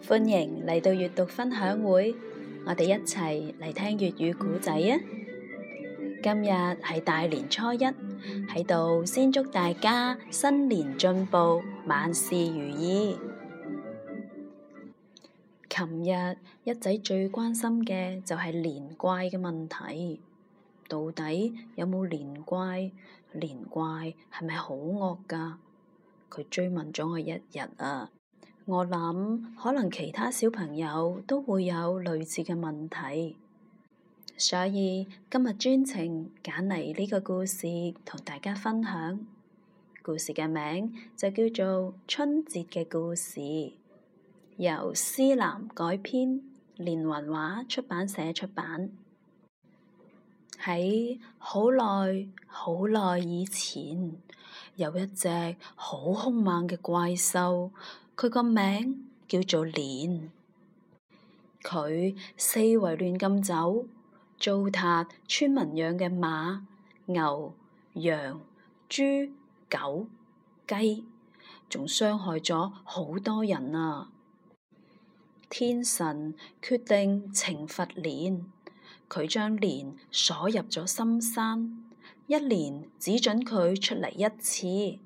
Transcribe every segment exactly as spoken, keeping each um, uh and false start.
歡迎嚟到閱讀分享會，我哋一齊嚟聽粵語故仔啊！今日係大年初一，喺度先祝大家新年進步，萬事如意。琴日一仔最關心嘅就係連怪嘅問題，到底有冇連怪？連怪係咪好惡㗎？佢追問咗我一日啊！我諗可能其他小朋友都會有類似嘅問題，所以今日專程揀嚟呢個故事同大家分享。故事嘅名就叫做《春節嘅故事》，由思南改編，連雲畫出版社出版。喺好耐好耐以前，有一隻好兇猛嘅怪獸。佢個名叫做年，佢四圍亂咁走，糟蹋村民養嘅馬、牛、羊、豬、狗、雞，仲傷害咗好多人啊！天神決定懲罰年，佢將年鎖入咗深山，一年只准佢出嚟一次。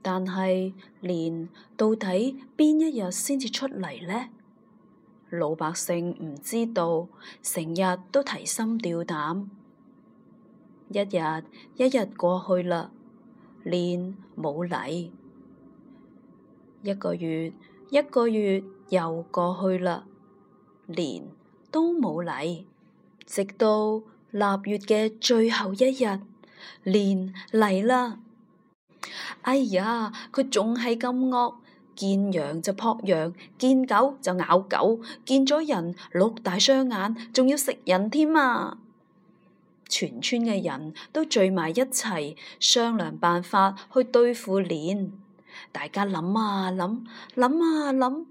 但係年到底邊一日先至出嚟呢？老百姓唔知道，成日都提心吊膽。一日一日過去啦，年冇嚟。一個月一個月又過去啦，年都冇嚟。直到臘月嘅最後一日，年嚟啦。哎呀，佢仲係咁惡，見羊就撲羊，見狗就咬狗，見咗人碌大雙眼，仲要食人添啊！全村嘅人都聚埋一齊商量辦法去對付年。大家諗啊諗，諗啊諗，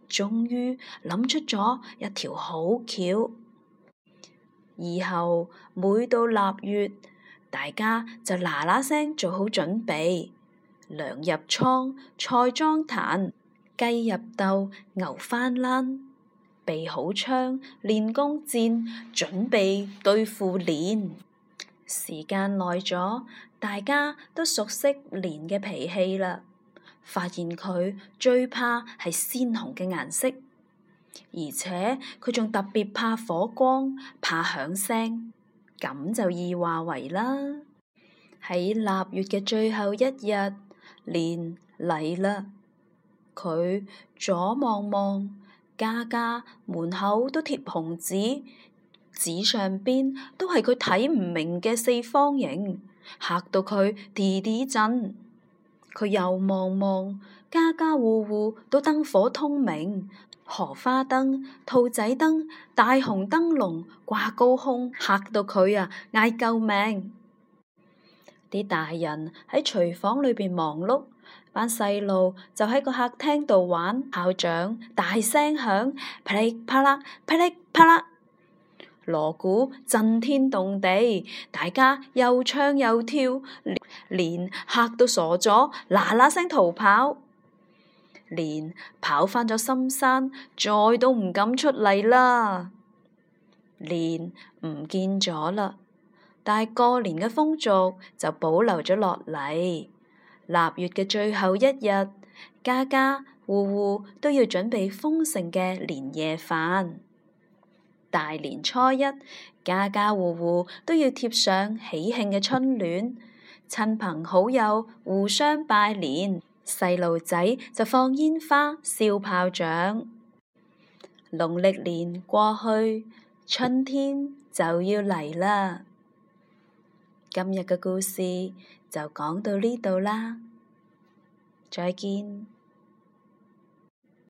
終於諗出咗一條好橋。以後每到臘月，大家就嗱嗱聲做好準備。糧入倉，菜裝壇，雞入竇，牛翻欄，備好槍，練弓箭，準備對付年。時間耐咗，大家都熟悉年嘅脾氣啦，發現佢最怕係鮮紅嘅顏色，而且佢仲特別怕火光，怕響聲，咁就易話為啦。喺臘月嘅最後一日，年嚟啦，佢左望望，家家門口都貼紅紙，紙上邊都係佢睇唔明嘅四方形，嚇到佢啲啲震。佢又望望，家家戶戶都燈火通明，荷花燈、兔仔燈、大紅燈籠掛高空，嚇到佢啊嗌救命。啲大人喺廚房裏邊忙碌，班細路就喺個客廳度玩炮仗，大聲響，噼里啪啦，噼里啪啦，鑼鼓震天動地，大家又唱又跳，年嚇到傻咗，嗱嗱聲逃跑。年跑返咗深山，再都唔敢出嚟啦。年唔見咗啦。但係過年嘅風俗就保留咗落嚟。臘月嘅最後一日，家家戶戶都要準備豐盛嘅年夜飯。大年初一，家家戶戶都要貼上喜慶嘅春聯，親朋好友互相拜年，細路仔就放煙花、燒炮仗。農曆年過去，春天就要嚟啦。今日嘅故事就講到呢度啦，再見。